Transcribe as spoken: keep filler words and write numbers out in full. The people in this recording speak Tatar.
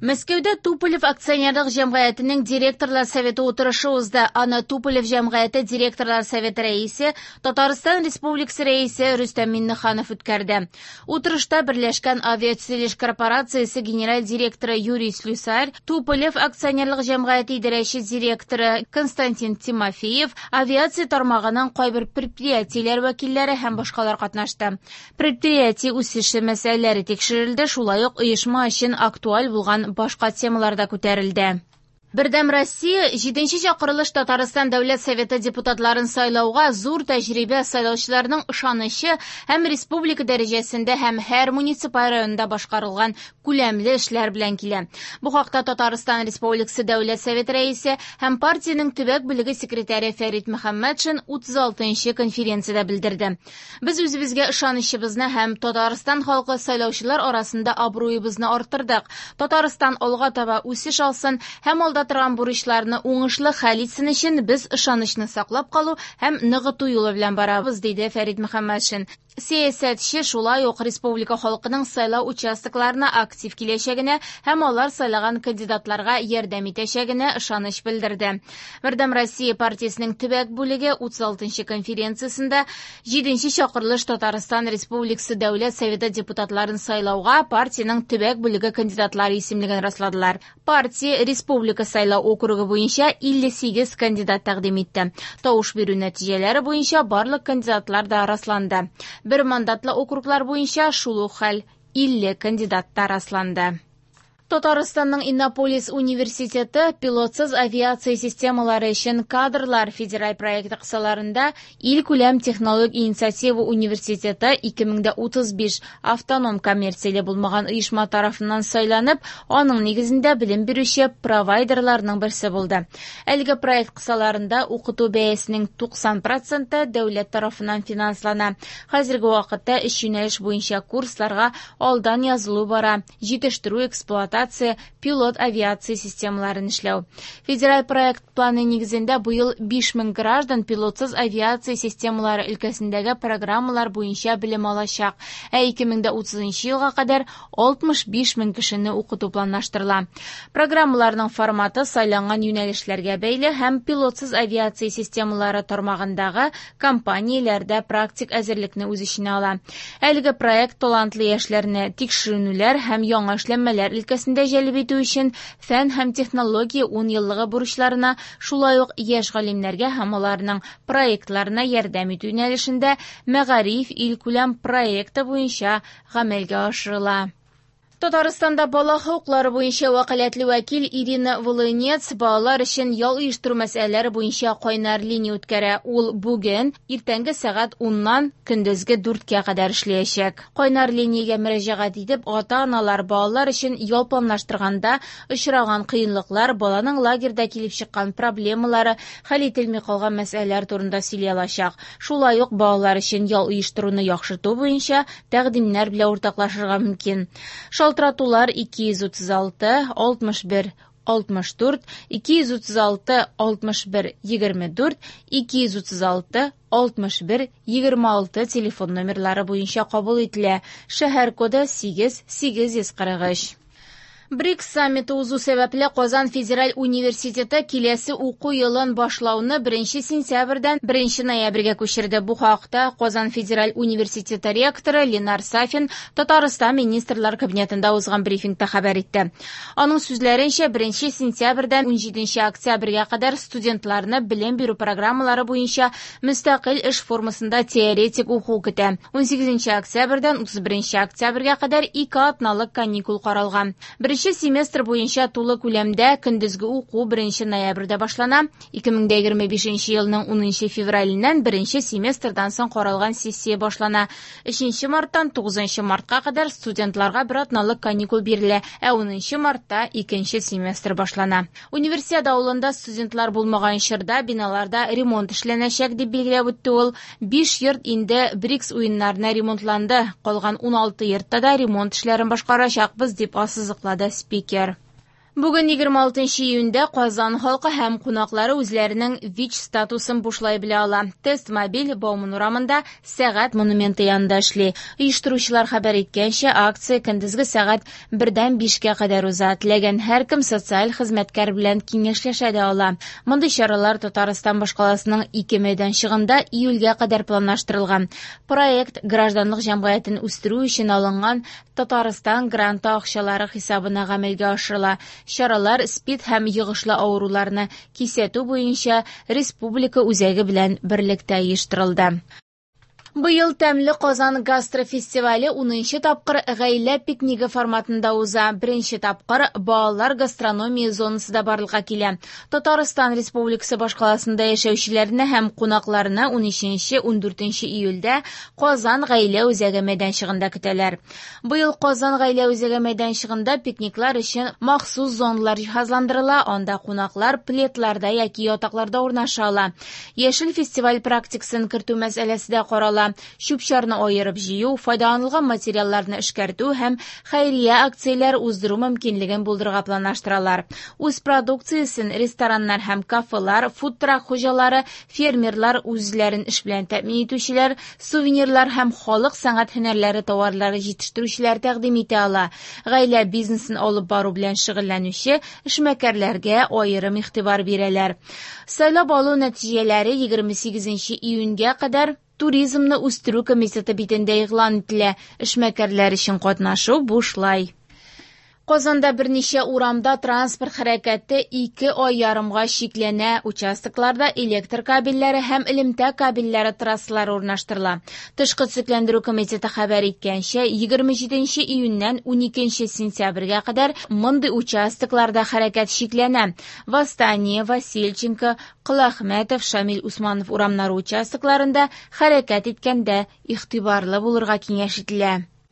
Мәскәүдә Туполев акционерлык җәмгыятенең директорлар советы утырышы узды. Аны Туполев җәмгыяте директорлар советы рәисе, Татарстан Республикасы рәисе Рөстәм Миңнеханов үткәрде. Утырышта Берләшкән авиатөзелеш корпорациясе генераль директоры Юрий Слюсарь, Туполев акционерлык җәмгыяте идарәче директоры Константин Тимофеев, авиация тармагының кайбер предприятиеләр вәкилләре һәм башкалар катнашты. Предприятие үсеше мәсьәләләре тикшерелде, шулай ук оешма өчен актуаль булган башка темалар да күтәрелде. Бердәм Россия җиденче чакырылыш Татарстан Дәүләт Советы депутатларын сайлауга зур тәҗрибә, сайлаучыларның ышанычы һәм республика дәрәҗәсендә һәм һәр муниципаль районда башкарылган күләмле эшләр белән килә. Бу хакта Татарстан Республикасы Дәүләт Советы рәисе һәм партиянең төбәк бүлеге секретаре Фәрит Мөхәммәтшин утыз алтынчы конференциядә белдерде. Без үзебезгә ышанычыбызны һәм Татарстан халкы сайлаучылар арасында абруебызны арттырдык. Татарстан алга таба үсеш алсын һәм алда торган бурычларны уңышлы хәл итсен өчен без ышанычны саклап калу һәм ныгыту юлы белән барабыз, диде Фәрит Мөхәммәтшин. Сәясәтче шулай ук республика халкының сайлау участокларына актив киләчәгенә һәм алар сайлаган кандидатларга ярдәм итәчәгенә ышаныч белдерде. Бердәм Россия партиясенең төбәк бүлеге утыз алтынчы конференциясендә җиденче чакырылыш Татарстан Республикасы Дәүләт Советы депутатларын сайлауга партиянең төбәк бүлеге кандидатлары исемлеген расладылар. Партия республика сайлау округы буенча илле сигез кандидат тәкъдим итте. Тавыш бирү нәтиҗәләре буенча барлык кандидатлар да расланды. Бер мандатлы округлар буенча шул ук хәл, илле кандидат та расланды. Татарстанның Иннополис университеты пилотсыз авиация системалары өчен кадрлар федераль проекты кысаларында илкүләм технологик инициатива университеты ике мең дә утыз биш автоном коммерцияле булмаган оешма тарафыннан сайланып, аның нигезендә белем бирүче провайдерларның берсе булды. Әлеге проект кысаларында укыту бәясенең туксан проценты дәүләт тарафыннан финанслана. Хәзерге вакытта өч юнәлеш буенча курсларга алдан язылу бара. Җитештерү, эксплуатация, пилот авиация системаларын эшләү. Федераль проект планы нигезендә быел биш мең граждан пилотсыз авиация системалары өлкәсендәге программалар буенча белем алачак. Ә ике мең дә утызынчы елга кадәр алтмыш биш мең кешене укыту планлаштырыла. Программаларның форматы сайланган юнәлешләргә бәйле һәм пилотсыз авиация системалары тармагындагы компанияләрдә практик әзерлекне үз эченә ала. Әлеге проект талантлы яшьләрне тикшеренүләр һәм яңа эшләнмәләр өлкәсендә җәлеп итү өчен фән һәм технология ун еллыгы бурычларына, шулай ук яшь галимнәргә һәм аларның проектларына ярдәм итү юнәлешендә Мәгариф илкүләм проекты буенча гамәлгә ашырыла. Татарстанда бала хокуклары буенча вәкаләтле вәкил Ирина Волынец балалар өчен ял оештыру мәсьәләләре буенча кайнар линия үткәрә. Ул бүген иртәнге сәгать уннан көндезге дүрткә кадәр эшләячәк. Кайнар линиягә мөрәҗәгать итеп, ата-аналар балалар өчен ял планлаштырганда очраган кыенлыклар, баланың лагерьда килеп чыккан проблемалары, хәл ителми калган мәсьәләләр турында сөйли алачак. Шулай ук балалар өчен ял оештыруны яхшырту буенча тәкъдимнәр белән уртаклашырга мөмкин. Шалтыратулар ике йөз утыз алты, алтмыш бер, алтмыш дүрт, ике йөз утыз алты, алтмыш бер, егерме дүрт, ике йөз утыз алты, алтмыш бер, егерме алты телефон номерлары буенча кабул ителә. Шәһәр коды сигез, сигез йөз кырык өч. БРИКС саммиты узу сәбәпле Казан федераль университеты киләсе уку елын башлауны беренче сентябрьдән беренче ноябрьгә күчерде. Бу хакта Казан федераль университеты ректоры Ленар Сафин Татарстан министрлар кабинетында узган брифингта хәбәр итте. Аның сүзләренчә, беренче сентябрьдән унҗиденче октябрьгә кадәр студентларны белем бирү программалары буенча мөстәкыйль эш формасында теоретик уку көтә. Унсигезенче октябрьдән утыз беренче октябрьгә кадәр ике атналык каникул каралган. Беренче семестр буенча тулы күләмдә көндезге уку беренче ноябрьдә башлана. Ике мең дә егерме бишенче елның унынчы февраленнән беренче семестрдан соң каралган сессия башлана. Өченче марттан тугызынчы мартка кадәр студентларга бер атналык каникул бирелә, ә унынчы мартта икенче семестр башлана. Универсиада авылында студентлар булмаган чорда биналарда ремонт эшләнәчәк дип билгеләп үтте ул. Биш йорт инде БРИКС уеннарына ремонтланды. Калган уналты йортта да ремонт эшләрен башкарачакбыз дип ассызыклады спикер. Бүген егерме алтынчы июньдә Казан халкы һәм кунаклары үзләренең ВИЧ статусын бушлай белә ала. Тест мобиль Бауман урамында Сәгать монументы янында эшли. Оештыручылар хәбәр иткәнчә, акция көндезге сәгать бердән бишкә кадәр уза. Теләгән һәркем социаль хезмәткәр белән киңәшләшә дә ала. Мондый чаралар Татарстан башкаласының ике мәйданчыгында июльгә кадәр планлаштырылган. Проект гражданлык җәмгыятен үстерү өчен алынган Татарстан гранты акчалары хисабына гамәлгә ашырыла. Чаралар СПИД һәм йогышлы авыруларны кисәтү буенча республика үзәге белән берлектә оештырылды. Быел Тәмле Казан гастрофестивале унынчы тапкыр гаилә пикнигы форматында уза. Беренче тапкыр балалар гастрономия зонасы да барлыкка килә. Татарстан Республикасы башкаласында яшәүчеләрне һәм кунакларны унөченче, ундүртенче июльдә Казан гаилә үзәге мәйданчыгында көтәләр. Быел Казан гаилә үзәге мәйданчыгында пикниклар өчен махсус зоналар җиһазландырыла, анда кунаклар пледларда яки ятакларда урнаша ала. Яшел фестиваль практикасын кертү мәсьәләсе дә карала. Чүп-чарны аерып җыю, файдаланылган материалларны эшкәртү һәм хәйрия акцияләр уздыру мөмкинлеген булдырырга планлаштыралар. Үз продукциясен рестораннар һәм кафелар, фудтрак хуҗалары, фермерлар, үзләрен эш белән тәэмин итүчеләр, сувенирлар һәм халык сәнгать һөнәрләре товарлары җитештерүчеләр тәкъдим итә ала. Гаилә бизнесын алып бару белән шөгыльләнүче эшмәкәрләргә аерым игътибар бирәләр. Сайлап алу нәтиҗәләре егерме сигезенче июньгә кадәр Туризмны үстерү комитеты битендә игълан ителә. Эшмәкәрләр өчен катнашу бушлай. Казанда берничә урамда транспорт хәрәкәте ике ай ярымга чикләнә. Участокларда электр кабельләре һәм элемтә кабельләре трассалары урнаштырыла. Тышкы төзекләндерү комитеты хәбәр иткәнчә, егерме җиденче июньнән уникенче сентябрьгә кадәр мондый участокларда хәрәкәт чикләнә. Восстание, Васильченко, Коләхмәтов, Шамил Усманов урамнары участокларында хәрәкәт иткәндә игътибарлы булырга киңәш ителә.